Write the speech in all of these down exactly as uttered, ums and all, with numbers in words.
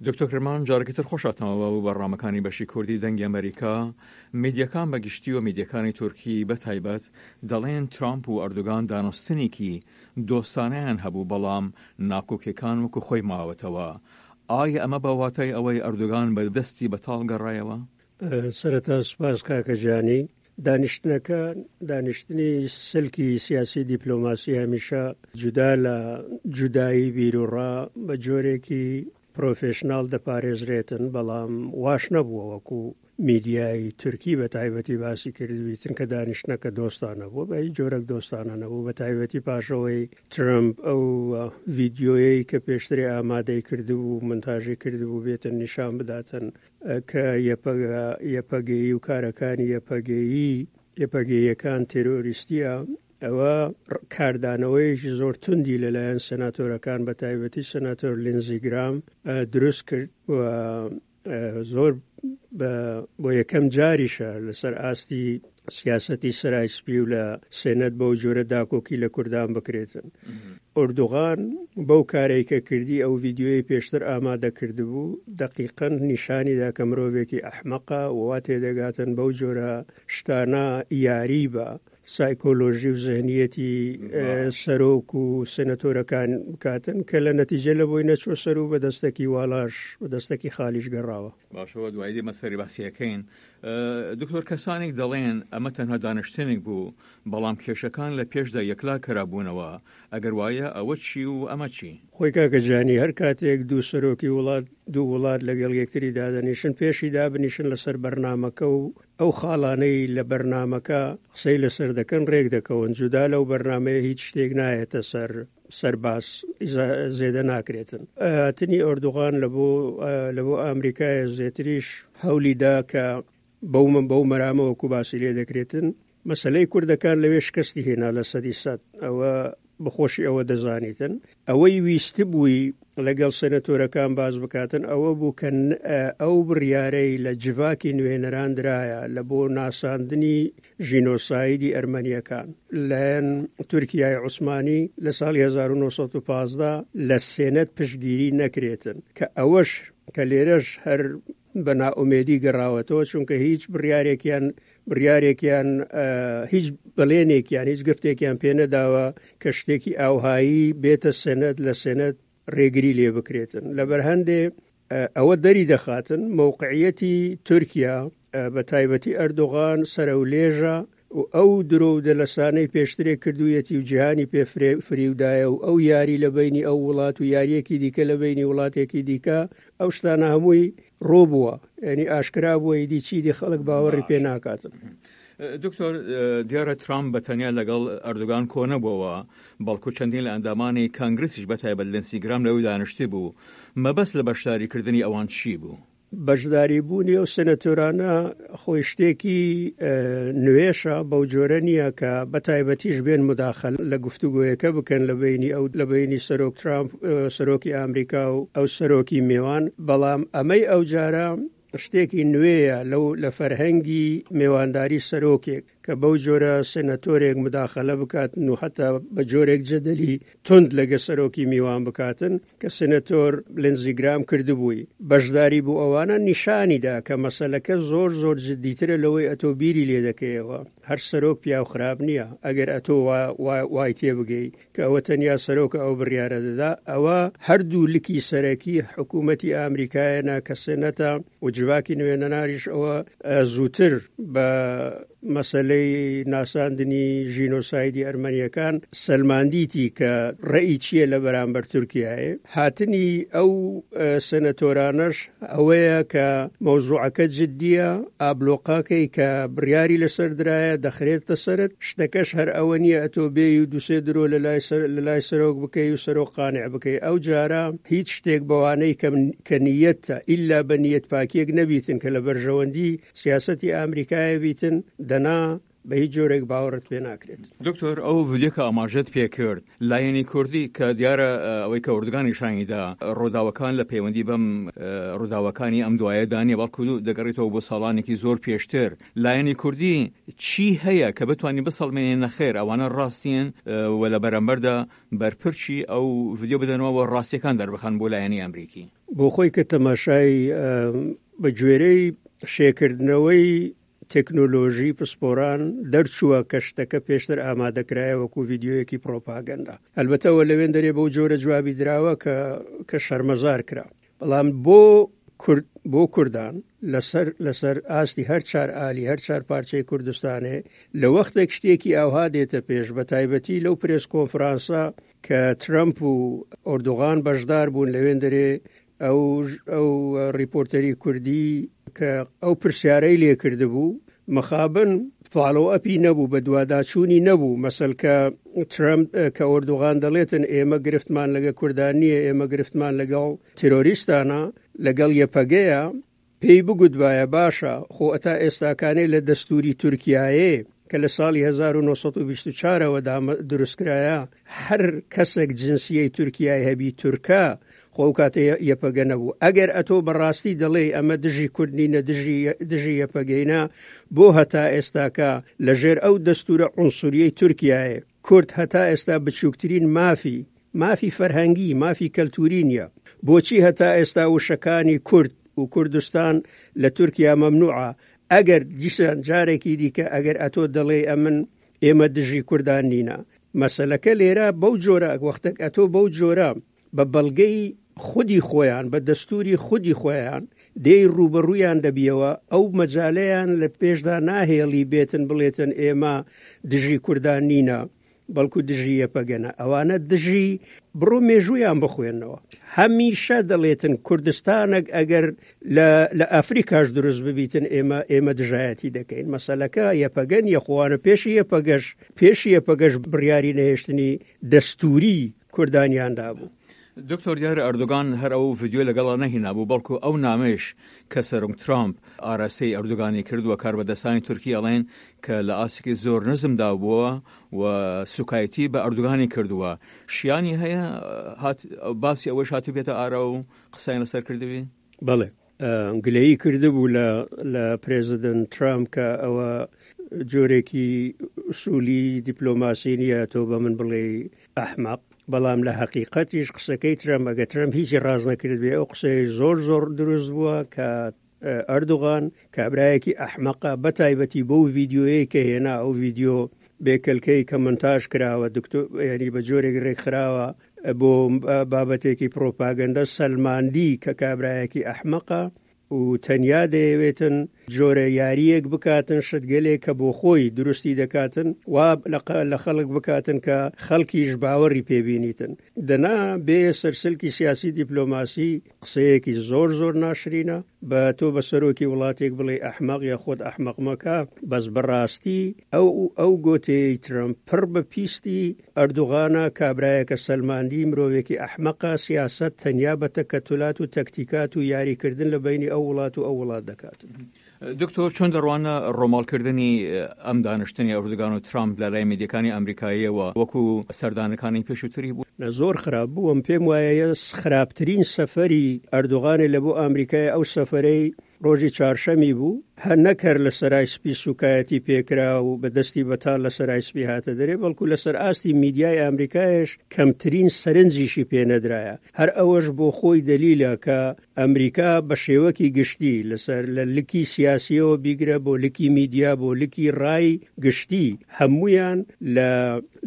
دکتۆر کرمان، جارێکی تر خۆشاتەوە بۆ بەرنامەکانی بەشی کوردی دەنگی ئەمریکا. میدیاکان بە گشتی و میدیاکانی تورکی بە تایبەت دەڵێن ترامپ و ئەردوگان دانوستنێکی دۆستانەیان هەبوو، بەڵام ناکۆکیەکان وەکو خۆی ماوەتەوە. ئایا ئەمە بە واتای ئەوەی ئەردوگان بە دەستی بەتاڵ گەڕایەوە؟ سەرەتا سوپاس کاکە جانی. دانیشتنەکە، دانیشتنی سلکی سیاسی دیپلۆماسی هەمیشە جودا لە جودایی بیروڕا بە جۆرێکی پرۆفێشناڵ دەپارێزرێتن، بەڵام واش نەبووە وەکو میدیای تورکی بە تایبەتی باسی کردبیتن کە دانیشتنەکە دۆستانە بووە. بە هیچ جۆرێک دۆستانە نەبوو، بە تایبەتی پاشەوەی ترەمپ ئەو ڤیدیۆیەی کە پێشتری ئامادەی کردبوو، مونتاژی کردبوو، بێتن نیشان بداتن کە یەپەگەیی و کارەکانی یەپەگەیی یەپەگەیەکان تێرۆریستیە. ئەوە کاردانەوەیەکی زۆر توندی لەلایەن سەناتۆرەکان بە تایبەتی سەناتۆر لینزی گرام دروست کرد و زۆر بۆ یەکەم جاریشە لەسەر ئاستی سیاسەتی سەرای سپی و لە سێنەت بەو جۆرە داکۆکی لە کوردان بکرێتن. ئۆردوغان بەو کارەی کە کردی، ئەو ڤیدیۆیەی پێشتر ئامادە کردبوو، دقیقەن نیشانیدا کە مرۆڤێکی ئەحمەقە و وا تێدەگاتن بەو جۆرە شتانە یاری بە سایکۆلۆژی و زهنیەتی سەرۆک و سێنەتۆرەکان بکاتن، کە لە نەتیجە لە بۆی نەچوە سەر و بە دەستێکی واڵاش بە دەستێکی خالیش گەڕاوە. باشەوە دوایی دێمە سەری باسیەکەین. دکتۆر، کەسانێک دەڵێن ئەمە تەنها دانیشتنێک بوو، بەڵام کێشەکان لە پێشدا یەکلا کرابوونەوە. ئەگەر وایە ئەوە چی و ئەمە چی؟ خۆی کاکە جانی، هەر کاتێک دوو سەرۆکی وڵات، دوو وڵات لەگەڵ یەکتری دادەنیشن، پێشی دابنیشن لەسەر بەرنامەکە و ئەو خاڵانەی لە بەرنامەکە قسەی لەسەر دەکەن ڕێک دەکەون. جودا لەو بەرنامەیە هیچ شتێک نایەتە سەر سەرباس، زێدە ناکرێتن. هاتنی ئۆردوغان لە بۆ ئەمریکایە زێتریش هەولی دا کە بەو من بەو مەرامەوە وەکو باسی لێ دەکرێتن. مەسلەی کوردەکان لەوێ شکستی هێنا لە سەدی سەد، ئەوە بەخۆشی ئەوە دەزانیتن. ئەوەی ویست بووی لەگەڵ سەنەتۆرەکان باز بکاتن ئەوە بوو کە ئەو بڕیارەی لە جڤاکی نوێنەران درایە لە بۆ ناساندنی ژینۆسایدی ئەرمەنیەکان لایەن تورکیای عوسمانی لە ساڵی هەزار و نۆ سەد و پازدە لە سێنەت پشتگیری نەکرێتن، کە ئەوەش کە لێرەش هەر بە نائومێدی گەڕاوەتەوە، چونکە هیچ بڕیارێکیان بڕیارێکیان هیچ بەڵێنێکیان هیچ گفتێکیان پێ نەداوە کە شتێکی ئاوهایی بێتە سێنەت لە سێنەت ڕێگری لێ بکرێتن. لەبەر هەندێ ئەوە دەری دەخاتن مەوقعیەتی تورکیا بە تایبەتی ئەردۆغان سەرەولێژە و ئەو درۆ و دەلەسانەی پێشترێک کردوویەتی و جیهانی پێ فریودایە و ئەو یاری لە بینی ئەو وڵات و یاریەکی دیکە لە بینی وڵاتێکی دیکە، ئەو شتانە هەمووی ڕۆ بووە، یعنی ئاشکرا بووە، ئیدی چیدی خەڵک باوەڕی پێ ناکاتن. دکتۆر، دیارە ترامپ بە تەنیا لەگەڵ ئەردوگان کۆ نەبووەوە، بەڵکو چەندین لە ئەندامانی کانگرسیش بە تایبەت لینسی گرام لەوەی دانیشتی بوو. مەبەست لە بەشداریکردنی ئەوان چی بوو؟ بەشداری بوونی ئەو سەنەتۆرانە خۆی شتێکی نوێشە، بەو جۆرە نییە کە بە تایبەتیش بێن مداخل لە گفتوگۆیەکە بکەن لە بینی ئەو لە بینی سەرۆک ترامپ، سەرۆکی ئەمریکا و ئەو سەرۆکی میوان. بەڵام ئەمەی ئەو جارە شتێکی نوێیە لەو لە فەرهەنگی میوانداری سەرۆکێک کە بەو جۆرە سێنەتۆرێک مداخلە بکاتن و حتا بە جۆرێک جەدەلی توند لەگە سەرۆکی میوان بکاتن کە سێنەتۆر لینزی گرام کردبووی. بەشداری بوو ئەوانە نیشانیدا کە مەسەلەکە زۆر زۆر جدیترە لەوەی ئەتۆ بیری لێ دەکەیەوە. هەر سەرۆک پیاو خراپ نییە ئەگەر ئەتۆ وای تێبگەی کە ئەوە تەنیا سەرۆکە ئەو بڕیارە دەدا. ئەوە هەردوو لکی سەرەکی حکوومەتی ئەمریکایەنە کە سێنەتە و جڤاکی نوێنەناریش ئەوە زووتر بە مەسەلەی ناساندنی ژینۆسایدی ئەرمەنیەکان سەلماندیتی کە ڕێی چییە لە بەرامبەر تورکیایە. هاتنی ئەو سەنەتۆرانەش ئەوەیە کە مەوزوعەکە جدیە، ئابلۆقاکەی کە بڕیاری لەسەر درایە دەخرێتە سەرت، شتەکەش هەر ئەوە نییە ئەتۆ بێی و دووسێ درۆ لە لای سەرۆک بکەی و سەرۆک قانع بکەی. ئەو جارە هیچ شتێک بەوانەی کە نیەتە ئیلا بە نیەت پاکیەک نەبیتن کە لە بەرژەوەندی سیاسەتی ئەمریکایە بیتن، دەنا بە هیچ جۆرێک باوەڕت پێ ناکرێت. دکتۆر، ئەو ڤیدیۆ کە ئاماژەت پێ کرد، لایەنی کوردی کە دیارە ئەوەی کە ئەردوگان نیشانی دا، ڕووداوەکان لە پەیوەندی بەم ڕووداوەکانی ئەم دوایەدا نییە، بەڵکو دەگەڕێتەوە بۆ ساڵانێکی زۆر پێشتر. لایەنی کوردی چی هەیە کە بتوانین بسەڵمێنین نەخێر ئەوانە ڕاستین و لە بەرامبەردا بەرپرچی ئەو ڤیدیۆ بدەنەوە و ڕاستیەکان دەربخەن بۆ لایەنی ئەمریکی؟ بۆ خۆی کە تەماشای بە گوێرەی شێکردنەوەی تەکنۆلۆژی پسپۆران دەرچووە کە شتەکە پێشتر ئامادەکرایە وەکو ڤیدیۆیەکی پرۆپاگەندا. ئەلبەتەوە لەوێن دەرێ بەو جۆرە جوابی دراوە کە کە شەرمەزار کرا. بەڵام بۆ کورد بۆ کوردان لەسەر لەسەر ئاستی هەر چار ئالی هەر چار پارچەی کوردستانێ لە وەختێک شتێکی ئاوها دێتە پێش، بە تایبەتی لەو پرێس کۆنفرانسە کە ترەمپ و ئۆردوغان بەشدار بوون لەوێن دەرێ ئەو ئەو ڕیپۆرتەری کوردی کە ئەو پرسیارەی لێکردبوو، مەخابن follow up ی نەبوو، بە دوواداچوونی نەبوو. مەسەل کە ترەمپ کە ئۆردوغان دەڵێتن ئێمە گرفتمان لەگە کوردان نییە، ئێمە گرفتمان لەگەڵ تیرۆریستانە، لەگەڵ یەپەگەیە، پێی بگوتبایە باشە خۆ ئەتا ئێستاکانێ لە دەستوری تورکیایێ کە لە ساڵی هەزار و نۆ سەد و بیست و چوارەوە دروستکرایە، هەر کەسێک جنسیەی تورکیای هەبی تورکا، خۆ ئەو کاتە یەپەگە نەبوو. ئەگەر ئەتۆ بەڕاستی دەڵێی ئەمە دژی کورد نینە، دژی دژی یەپەگەینە، بۆ هەتا ئێستاکە لەژێر ئەو دەستورە عنسوریەی تورکیایە کورد هەتا ئێستا بچووکترین مافی مافی فەرهەنگی، مافی کەلتوری نییە؟ بۆچی هەتا ئێستا وشەکانی کورد و کوردستان لە تورکیا مەمنوعە؟ ئەگەر دیسان جارێکی دیکە ئەگەر ئەتۆ دەڵێ ئەمن ئێمە دژی کوردان نینە، مەسەلەکە لێرە بەو جۆرە وەختێک ئەتۆ بەو جۆرە بە بەڵگەی خودی خۆیان، بە دەستوری خودی خۆیان دێی ڕوبەڕوویان دەبیەوە، ئەو مەجالەیان لە پێشدا ناهێڵی بێتن بڵێتن ئێمە دژی کوردان نینە، بەڵکو دژی یەپەگەنە. ئەوانە دژی بڕۆ مێژوویان بخوێنەوە. هەمیشە دەڵێتن کوردستانێک ئەگەر لە ئەفریکاش دروست ببیتن ئێمە ئێمە دژایەتی دەکەین. مەسەلەکە یەپەگەن یەخوانە پێشی یەپەگەش پێشی یەپەگەش بڕیاری نەهێشتنی دەستوری کوردانیان دابوو. دکتۆر، دیارە ئەردۆگان هەر ئەو ڤیدیۆ لەگەڵا نەهینابوو، بەڵکو ئەو نامەیش کە سەرۆک ترامپ ئاراستەی ئەردۆگانی کردووە، کاربەدەستانی تورکی ئەڵێن کە لە ئاستێکی زۆر نزمدا بووە و سوکایەتی بە ئەردۆگانی کردووە. شیانی هەیە باسی ئەوەش هاتوو بێتە ئارا و قسەیان لەسەر کردبی؟ بەڵێ، گلەیی کردبوو لە لە پرێزیدنت ترامپ کە ئەوە جۆرێکی ئوسولی دیپلۆماسی نییە تۆ بە من بڵێ ئەحمەق. بەڵام لە حەقیقەتیش قسەکەی ترەمپ، ئەگە ترەمپ هیچی ڕاز نەکرد بێ، ئەو قسەی زۆر زۆر دروست بووە کە ئەردوغان کابرایەکی ئەحمەقە، بە تایبەتی بەو ڤیدیۆیەی کە هێنا، ئەو ڤیدیۆ بێکەلکەی کە مونتاژ کراوە، دکتۆر یعنی بە جۆرێک ڕێکخراوە بۆ بابەتێکی پرۆپاگەندە، سەلماندی کە کابرایەکی ئەحمەقە و تەنیا دەیەوێتن جۆرە یاریەک بکاتن، شتگەلێک کە بۆ خۆی دروستی دەکاتن وا لە خەڵک بکاتن کە خەڵکیش باوەڕی پێبینیتن. دەنا بێ سەرسلکی سیاسی دیپلۆماسی قسەیەکی زۆر زۆر ناشرینە بە تۆ بە سەرۆکی وڵاتێک بڵێ ئەحمەق یا خۆت ئەحمەق مەکە. بەس بەڕاستی ئەو ئەو گۆتەی ترەمپ پڕ بە پیستی ئەردوغانە، کابرایەکە سەلماندی مرۆڤێکی ئەحمەقە، سیاسەت تەنیا بە تەکەتولات و تەکتیکات و یاریکردن لە بینی ئەو وڵات و ئەو وڵات دەکات. دکتۆر، چۆن دەڕوانە ڕۆماڵکردنی ئەم دانیشتنی ئەردوگان و ترامپ لە لای میدیەکانی ئەمریکاییەوە وەکو سەردانەکانی پێشووتری بوو؟ زۆر خراپ بووم. پێم وایە خراپترین سەفەری ئەردوغانێ لە بۆ ئەمریکای ئەو سەفەرەی ڕۆژی چوارشەمی بوو، هەر نەکەر لە سەرای سپی سوکایەتی پێکرا و بە دەستی بەتاڵ لە سەرای سپی هاتە دەرێ، بەڵکو لەسەر ئاستی میدیای ئەمریکایش کەمترین سەرنجیشی پێنەدرایە. هەر ئەوەش بۆ خۆی دەلیلە کە ئەمریکا بە شێوەکی گشتی لەسەر لە لکی سیاسیەوە بیگرە بۆ لکی میدیا بۆ لکی ڕای گشتی، هەمویان لە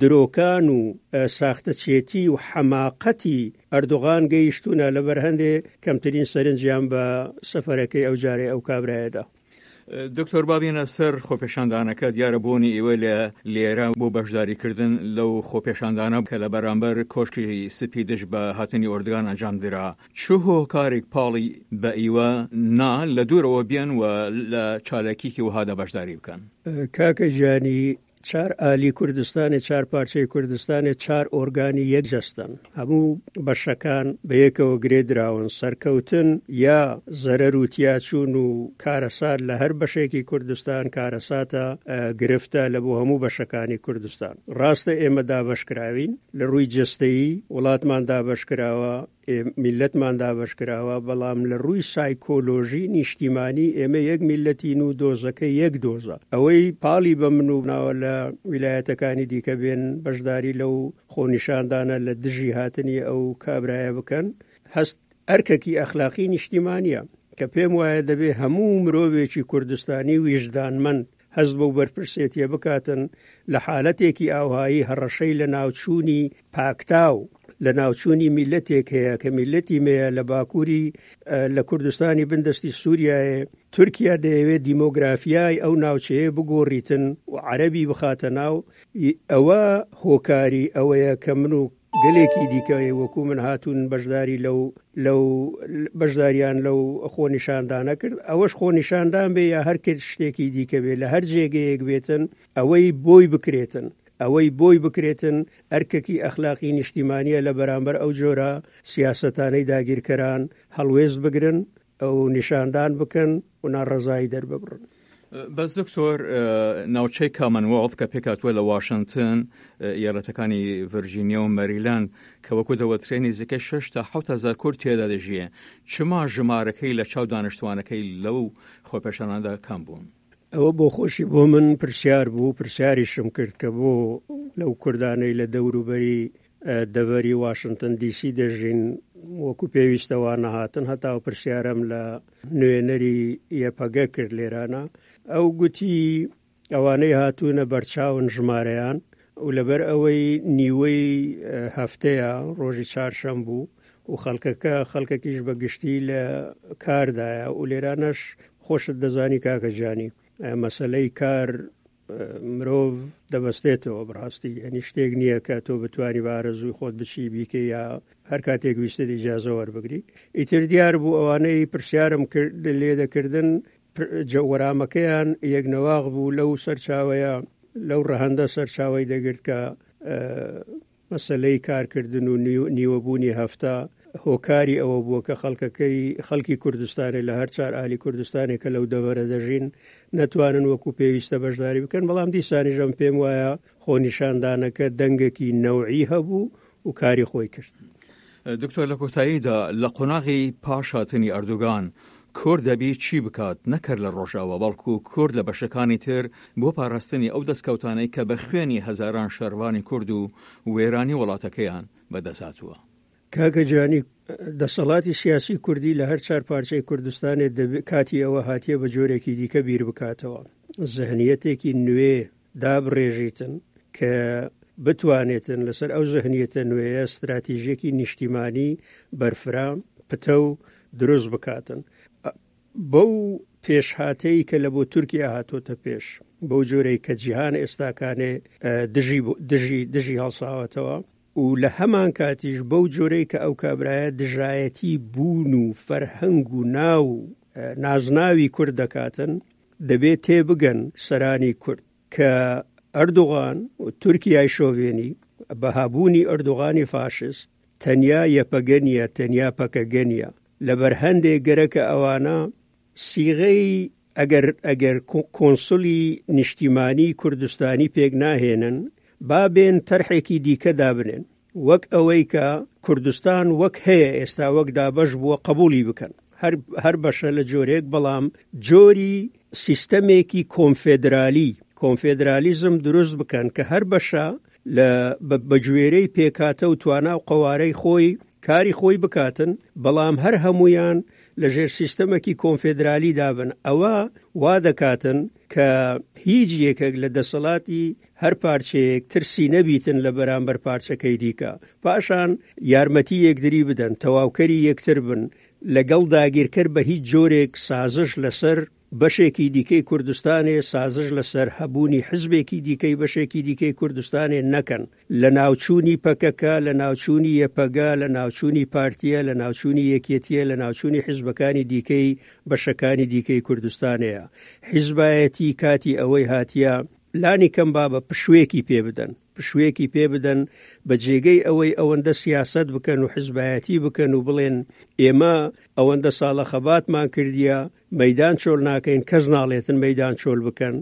درۆکان و ساختەچێتی و حەماقەتی ئەردوغان گەیشتونە، لەبەر هەندێ کەمترین سەرنجیان بە سەفەرەکەی ئەو جارەی ئەو کابرایەدا. دکتۆر، بابینە سەر خۆپێشاندانەکە. دیارە بوونی ئێوە لە لێرە بۆ بەشداریکردن لەو خۆپێشاندانە کە لە بەرامبەر کۆشکی سپی دژ بە هاتنی ئۆردگان ئەنجام درا، چ هۆکارێک پاڵی بە ئیوە نا لە دوورەوە بێن و لە چالاکیکی وەهادا بەشداری بکەن؟ کاکە گیانی، چار ئالی کوردستانێ، چار پارچەی کوردستانێ، چار ئۆرگانی یەک جەستەن، هەموو بەشەکان بە یەکەوە گرێ دراون. سەرکەوتن یا زەرەر و تیاچوون و کارەسات لە هەر بەشێکی کوردستان کارەساتە، گرفتە لە بۆ هەموو بەشەکانی کوردستان. ڕاستە ئێمە دابەشکراوین لە ڕووی جەستەیی، وڵاتمان دابەشکراوە، میلەتمان دابەشکراوە، بەڵام لە ڕووی سایکۆلۆژی نیشتیمانی ئێمە یەک میلەتین و دۆزەکە یەک دۆزە. ئەوەی پاڵی بە من و ناوە لە ویلایەتەکانی دیکە بێن بەشداری لەو خۆنیشاندانە لە دژی هاتنی ئەو کابرایە بکەن، هەست ئەرکێکی ئەخلاقی نیشتیمانیە کە پێم وایە دەبێ هەموو مرۆڤێکی کوردستانی ویژدانمەند هەست بەو بەرپرسێتیە بکاتن لە حالەتێکی ئاوهایی هەڕەشەی لە ناوچوونی پاکتاو، لە ناوچوونی میلەتێک هەیە کە میلەتی مەیە لە باکووری لە کوردستانی بندەستی سووریایە. تورکیا دەیەوێت دیمۆگرافیای ئەو ناوچەیە بگۆڕیتن و عەرەبی بخاتە ناو. ئەوە هۆکاری ئەوەیە کە من و گەلێکی دیکە وەکو من هاتوون بەشداری لەو لەو بەشداریان لەو خۆنیشاندانە کرد. ئەوەش خۆنیشاندان بێ یا هەر کرد شتێکی دیکە بێ، لە هەر جێگەیەک بێتن ئەوەی بۆی بکرێتن، ئەوەی بۆی بکرێتن ئەرکێکی ئەخلاقی نیشتیمانیە لە بەرامبەر ئەو جۆرە سیاسەتانەی داگیرکەران هەڵوێست بگرن، ئەو نیشاندان بکەن و ناڕەزایی دەرببڕن. بەس دکتۆر، ناوچەی کامنوێڵث کە پێکهاتووە لە واشنگتن، ایالەتەکانی ڤرجینیا و مەریلەند کە وەکو دەوترێ نزیکەی شەش تا حەوت هەزار کورد تێدا دەژیێ، چما ژمارەکەی لە چاو دانیشتوانەکەی لەو خۆپێشاناندا کەم بوون؟ ئەوە بۆ خۆشی بۆ من پرسیار بوو، پرسیاریشم کرد کە بۆ لەو کوردانەی لە دەوروبەری دەڤەری واشنگتن دیسی دەژین وەکو پێویستەوە نەهاتن. هەتا پرسیارم لە نوێنەری یەپەگە کرد لێرانە، ئەو گوتی ئەوانەی هاتوونە بەرچاون ژمارەیان و لەبەر ئەوەی نیوەی هەفتەیە ڕۆژی چارشەم بوو و خەڵکەکە خەڵکەکیش بە گشتی لە کاردایە و لێرانەش خۆشت دەزانی کاکە جانی مەسلەی کار مرۆڤ دەبەستێتەوە بەڕاستی، یعنی شتێک نییە کە تۆ بتوانی بە ئارەزووی خۆت بچی بیکەی یا هەر کاتێک ویستت ئیجازە وەربگری. ئیتر دیار بوو ئەوانەی پرسیارم لێ دەکردن وەرامەکەیان یەکنەواغ بوو لەو سەرچاوەیە، لەو ڕەهەندە سەرچاوەی دەگرت کە مەسلەی کارکردن و نیوەبوونی هەفتە هۆکاری ئەوە بووە کە خەڵکەکەی خەڵکی کوردستانی لە هەر چوار ئالی کوردستانی کە لەو دەڤەرە دەژین نەتوانن وەکو پێویستە بەشداری بکەن. بەڵام دیسانیژەم پێم وایە خۆنیشاندانەکە دەنگێکی نەوعی هەبوو و کاری خۆی کرد. دکتۆر، لە کۆتاییدا لە قۆناغی پاش هاتنی ئەردۆگان کورد دەبی چی بکات؟ نەکرد لە ڕۆژاوا، بەڵکو کورد لە بەشەکانی تر بۆ پاراستنی ئەو دەستکەوتانەی کە بە خوێنی هەزاران شەڕوانی کورد و وێرانی وڵاتەکەیان بەدەست هاتووە. کاکە جانی، دەسەڵاتی سیاسی کوردی لە هەر چوار پارچەی کوردستانێ کاتی ئەوە هاتیە بە جۆرێکی دیکە بیر بکاتەوە، زهنیەتێکی نوێ دابڕێژیتن کە بتوانێتن لەسەر ئەو زهنیەتە نوێیە استراتیژیەکی نیشتیمانی بەرفرا پتە و دروست بکاتن. بەو پێشهاتەی کە لە بۆ تورکیا هاتۆتە پێش، بەو جۆرەی کە جیهان ئێستاکانێ دژی دژی دژی هەڵساوەتەوە و لە هەمان کاتیش بەو جۆرەی کە ئەو کابرایە دژایەتی بوون و فەرهەنگ و ناو نازناوی کورد دەکاتن، دەبێت تێبگەن سەرانی کورد کە ئەردۆغان و تورکیای شۆڤێنی بە هەبوونی ئەردۆغانی فاشست تەنیا یەپەگە نییە، تەنیا پەکەگە نییە. لەبەر هەندێک گەرەکە ئەوانە سیغەی ئەگەر ئەگەر کۆنسولی نیشتیمانی کوردستانی پێک ناهێنن، با بێن تەرحێکی دیکە دابنێن، وەک ئەوەی کە کوردستان وەک هەیە ئێستا وەک دابەش بووە قبولی بکەن، هەر هەر بەشە لە جۆرێک، بەڵام جۆری سیستەمێکی کۆنفێدرالی کۆنفێدرالیزم دروست بکەن کە هەر بەشە لە بەگوێرەی پێکاتە و توانا و قەوارەی خۆی کاری خۆی بکاتن، بەڵام هەر هەمویان لەژێر سیستەمێکی کۆنفێدرالی دابن. ئەوە وا دەکاتن کە هیچ یەکێک لە دەسەڵاتی هەر پارچەیەک ترسی نەبیتن لە بەرامبەر پارچەکەی دیکە، پاشان یارمەتی یەکدری بدەن، تەواوکەری یەکتر بن، لەگەڵ داگیرکەر بە هیچ جۆرێک سازش لەسەر بەشێکی دیکەی کوردستانێ، سازش لەسەر هەبوونی حزبێکی دیکەی بەشێکی دیکەی کوردستانێ نەکەن. لە ناوچوونی پەکەکە، لە ناوچوونی یەپەگە، لە ناوچوونی پارتیە، لە ناوچوونی یەکێتیە، لە ناوچوونی حزبەکانی دیکەی بەشەکانی دیکەی کوردستانەیە. حیزبایەتی کاتی ئەوەی هاتیە لانی کەم با بە پشوویەکی پێ بدەن، پشوویەکی پێ بدەن بە جێگەی ئەوەی ئەوەندە سیاسەت بکەن و حزبایەتی بکەن و بڵێن ئێمە ئەوەندە ساڵە خەباتمان کردیە مەیدان چۆل ناکەین، کەس ناڵێتن مەیدان چۆل بکەن.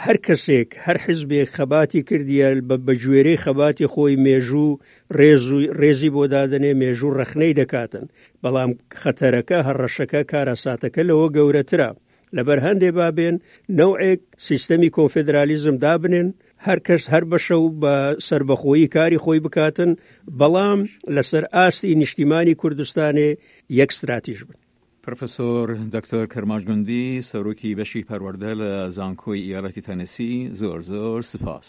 هەر کەسێک هەر حزبێک خەباتی کردیە بە گوێرەی خەباتی خۆی مێژوو ڕێز و ڕێزی بۆ دادەنێ، مێژوو ڕەخنەی دەکاتن. بەڵام خەتەرەکە، هەڕەشەکە، کارەساتەکە لەوە گەورەترە. لەبەر هەندێ بابێن نەوعێک سیستەمی کۆنفێدرالیزم دابنێن، هەر کەس هەر بەشە و بە سەربەخۆیی کاری خۆی بکاتن، بەڵام لەسەر ئاستی نیشتیمانی کوردستانێ یەک ستراتیژ بن. پرۆفسۆر دکتۆر کرمانج گوندی، سەرۆکی بەشی پەروەردە لە زانکۆی ئیالەتی تەنسی، زۆر زۆر سپاس.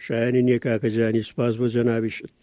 شایانی نییە کاکە جانی، سپاس بۆ جەنابیشت.